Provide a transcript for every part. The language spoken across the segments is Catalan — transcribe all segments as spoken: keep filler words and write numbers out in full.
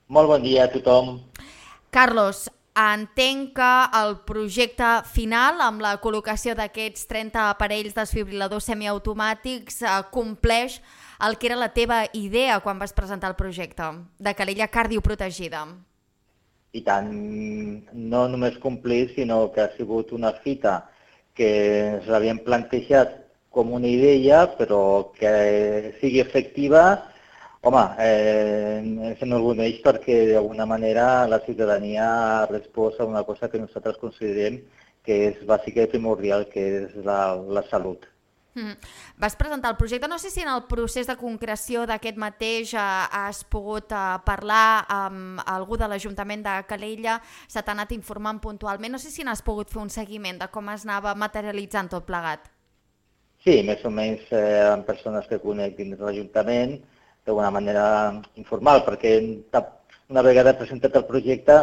Molt bon dia a tothom. Carlos, entenc que el projecte final, amb la col·locació d'aquests trenta aparells desfibriladors semiautomàtics, eh, compleix el que era la teva idea quan vas presentar el projecte de Calella cardioprotegida. I tant, no només complir, sinó que ha sigut una fita que ens l'havíem plantejat com una idea, però que sigui efectiva. Home, eh, ens enorgulleix perquè d'alguna manera la ciutadania ha respost a una cosa que nosaltres considerem que és bàsica i primordial, que és la, la salut. Mm. Vas presentar el projecte, no sé si en el procés de concreció d'aquest mateix eh, has pogut eh, parlar amb algú de l'Ajuntament de Calella, se t'ha anat informant puntualment, no sé si n'has pogut fer un seguiment de com es anava materialitzant tot plegat. Sí, més o menys eh, amb persones que conec dins de l'Ajuntament, d'alguna manera informal, perquè una vegada presentat el projecte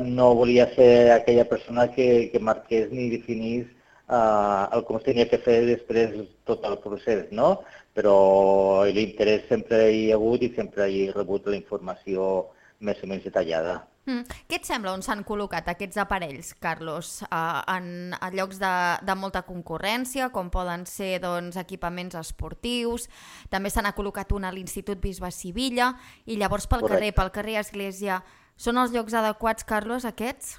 no volia ser aquella persona que, que marqués ni definís uh, el com es tenia que fer després tot el procés, no? Però l'interès sempre hi ha hagut i sempre hi he rebut la informació més o menys detallada. Mm. Què et sembla on s'han col·locat aquests aparells, Carlos? Uh, en, en llocs de, de molta concurrència, com poden ser doncs, equipaments esportius, també se n'ha col·locat un a l'Institut Bisbe Sivilla, i llavors pel Correcte. carrer, pel carrer Església, són els llocs adequats, Carlos, aquests?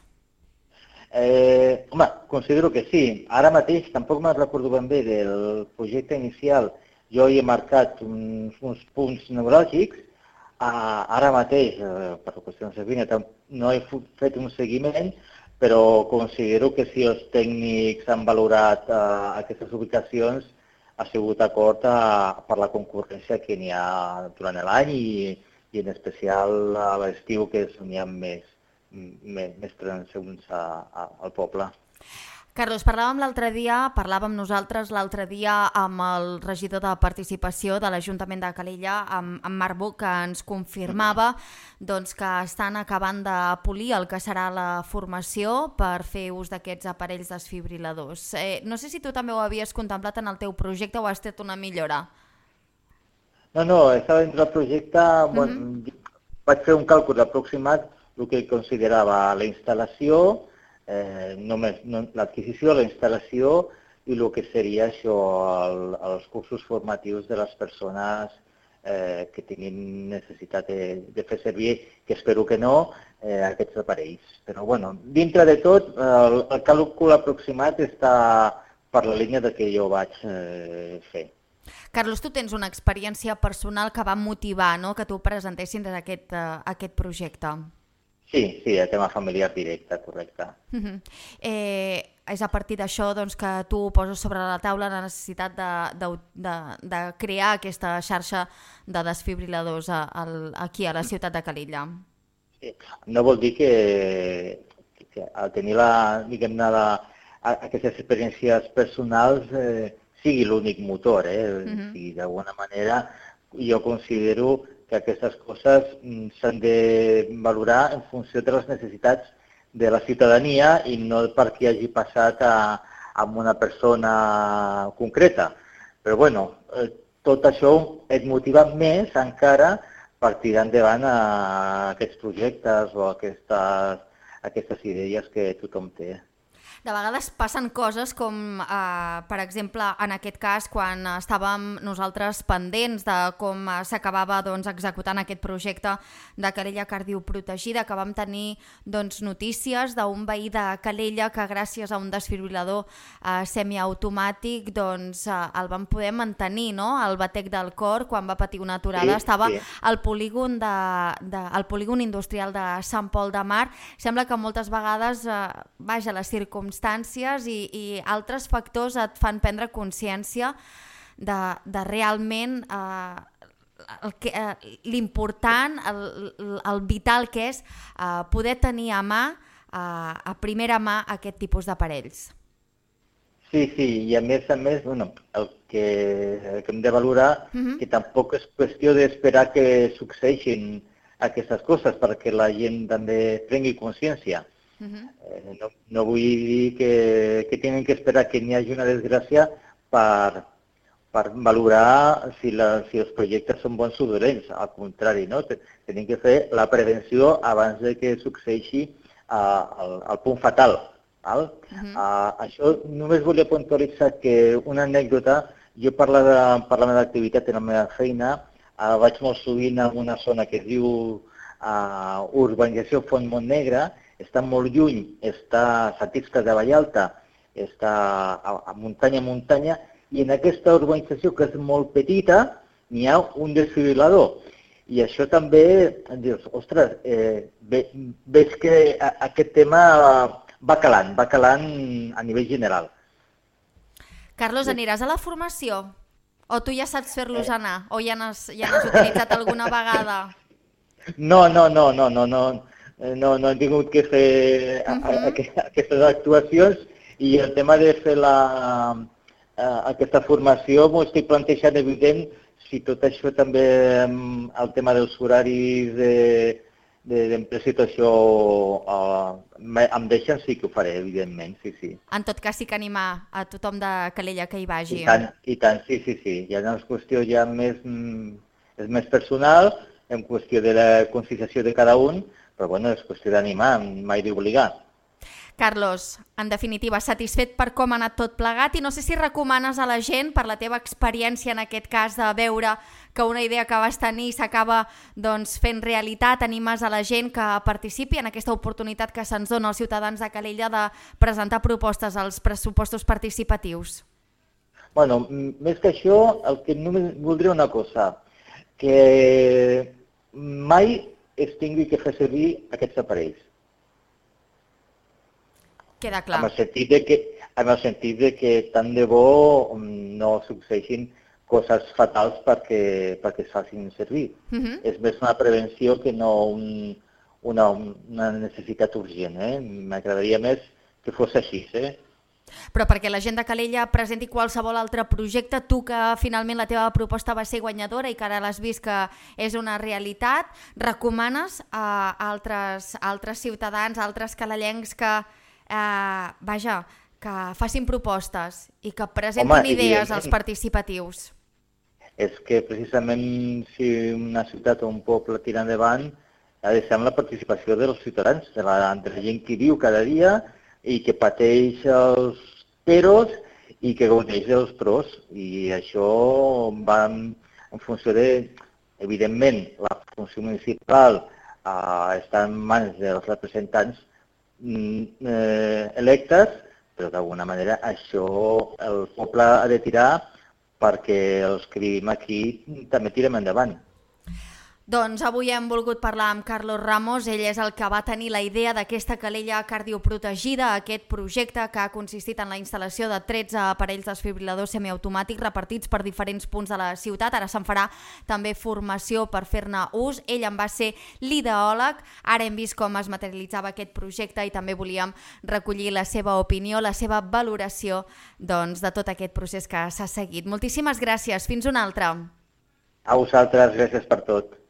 Eh, home, considero que sí. Ara mateix tampoc me'n recordo ben bé del projecte inicial. Jo hi he marcat uns, uns punts neuràlgics. Uh, ara mateix, uh, per qüestions de feina, no he fet un seguiment, però considero que si els tècnics han valorat uh, aquestes ubicacions ha sigut d'acord uh, per la concurrència que n'hi ha durant l'any i, i en especial a l'estiu, que és on hi ha més, més, més transeunts al poble. Carlos, parlàvem l'altre dia, parlàvem nosaltres l'altre dia amb el regidor de participació de l'Ajuntament de Calella, amb, amb Marc Buch, que ens confirmava doncs, que estan acabant de polir el que serà la formació per fer ús d'aquests aparells desfibriladors. Eh, no sé si tu també ho havies contemplat en el teu projecte o has estat una millora. No, no, estava dins del projecte, uh-huh. Bon, vaig fer un càlcul aproximat el que considerava la instal·lació, Eh, només no, l'adquisició, la instal·lació i el que seria això, el, els cursos formatius de les persones eh, que tinguin necessitat de, de fer servir, que espero que no, eh, aquests aparells. Però bueno, dintre de tot, el, el càlcul aproximat està per la línia de que jo vaig eh, fer. Carlos, tu tens una experiència personal que va motivar, no?, que tu presentessin aquest, uh, aquest projecte. Sí, sí, el tema familiar directe, correcte. Uh-huh. Eh, és a partir d'això doncs, que tu poses sobre la taula la necessitat de, de, de, de crear aquesta xarxa de desfibriladors a, a, aquí a la ciutat de Calella. Sí. No vol dir que, que al tenir la, diguem-ne, la, aquestes experiències personals eh, sigui l'únic motor. Eh? Uh-huh. Si d'alguna manera jo considero que aquestes coses s'han de valorar en funció de les necessitats de la ciutadania i no perquè hagi passat a, a una persona concreta. Però bueno, tot això et motiva més encara per tirar endavant a aquests projectes o aquestes, aquestes idees que tothom té. De vegades passen coses com, eh, per exemple, en aquest cas, quan estàvem nosaltres pendents de com s'acabava doncs, executant aquest projecte de Calella cardioprotegida, que vam tenir doncs, notícies d'un veí de Calella que gràcies a un desfibrilador eh, semiautomàtic doncs, eh, el van poder mantenir, no? El batec del cor, quan va patir una aturada, sí, estava sí. al polígon, de, de, al polígon industrial de Sant Pol de Mar. Sembla que moltes vegades, eh, vaja, les circumstàncies I, i altres factors et fan prendre consciència de, de realment eh, eh, l'important, el, el vital que és eh, poder tenir a mà, eh, a primera mà, aquest tipus d'aparells. Sí, sí, i a més a més, bueno, el que, el que hem de valorar uh-huh. que tampoc és qüestió d'esperar que succeeixin aquestes coses perquè la gent també prengui consciència. Uh-huh. eh, no, no vull dir que, que tenen que esperar que n'hi hagi una desgràcia per, per valorar si, la, si els projectes són bons o dolents. Al contrari, no? Tenim que fer la prevenció abans de que succeeixi uh, el, el punt fatal. Val? Uh-huh. uh, això només volia puntualitzar que una anècdota, jo parlant de l'activitat en la meva feina, uh, vaig molt sovint en una zona que es diu uh, Urbanització Font Montnegre, està molt lluny, està a Sant Iscle de Vallalta, està a, a muntanya a muntanya, i en aquesta urbanització, que és molt petita, n'hi ha un desfibrilador. I això també, dius, ostres, eh, ve, veig que a, aquest tema va calant, va calant a nivell general. Carlos, aniràs a la formació? O tu ja saps fer-los anar? O ja n'has ja n'has utilitzat alguna vegada? No, no, no, no, no, no, no, no he tingut que fer uh-huh. aquestes actuacions, i el tema de fer la, aquesta formació m'ho estic plantejant, evident, si tot això també, el tema dels horaris d'empresa i tot això em deixen, sí que ho faré, evidentment, sí, sí. En tot cas, sí que animar a tothom de Calella que hi vagi. I tant, i tant, sí, sí, sí. Ja no és qüestió ja més, és més personal, en qüestió de la conscienciació de cada un, però bueno, és qüestió d'animar, mai d'obligar. Carlos, en definitiva, satisfet per com ha anat tot plegat, i no sé si recomanes a la gent, per la teva experiència en aquest cas, de veure que una idea que vas tenir s'acaba doncs, fent realitat, animes a la gent que participi en aquesta oportunitat que se'ns dona als ciutadans de Calella de presentar propostes als pressupostos participatius? Bueno, més que això, el que només voldria una cosa, que mai es tingui que fer servir aquests aparells. Queda clar. En el sentit de que, en el sentit de que tant de bo no succeeixin coses fatals perquè, perquè es facin servir. Uh-huh. És més una prevenció que no un, una, una necessitat urgent. Eh? M'agradaria més que fos així. Eh? Però perquè la gent de Calella presenti qualsevol altre projecte, tu que finalment la teva proposta va ser guanyadora i que ara l'has vist que és una realitat, recomanes a altres, a altres ciutadans, a altres calellencs que Eh, vaja, que facin propostes i que presentin Home, idees als participatius? És que precisament si una ciutat o un poble tira endavant ha de ser amb la participació dels ciutadans, de la, de la gent que viu cada dia i que pateix els peros i que gaudeix dels pros. I això va en, en funció de, evidentment, la funció municipal eh, està en mans dels representants Eh, electes, però d'alguna manera això el poble ha de tirar perquè els que vivim aquí també tirem endavant. Doncs avui hem volgut parlar amb Carlos Ramos, ell és el que va tenir la idea d'aquesta calella cardioprotegida, aquest projecte que ha consistit en la instal·lació de tretze aparells desfibriladors semiautomàtics repartits per diferents punts de la ciutat. Ara se'n farà també formació per fer-ne ús. Ell en va ser l'ideòleg, ara hem vist com es materialitzava aquest projecte i també volíem recollir la seva opinió, la seva valoració doncs, de tot aquest procés que s'ha seguit. Moltíssimes gràcies, fins una altra. A vosaltres, gràcies per tot.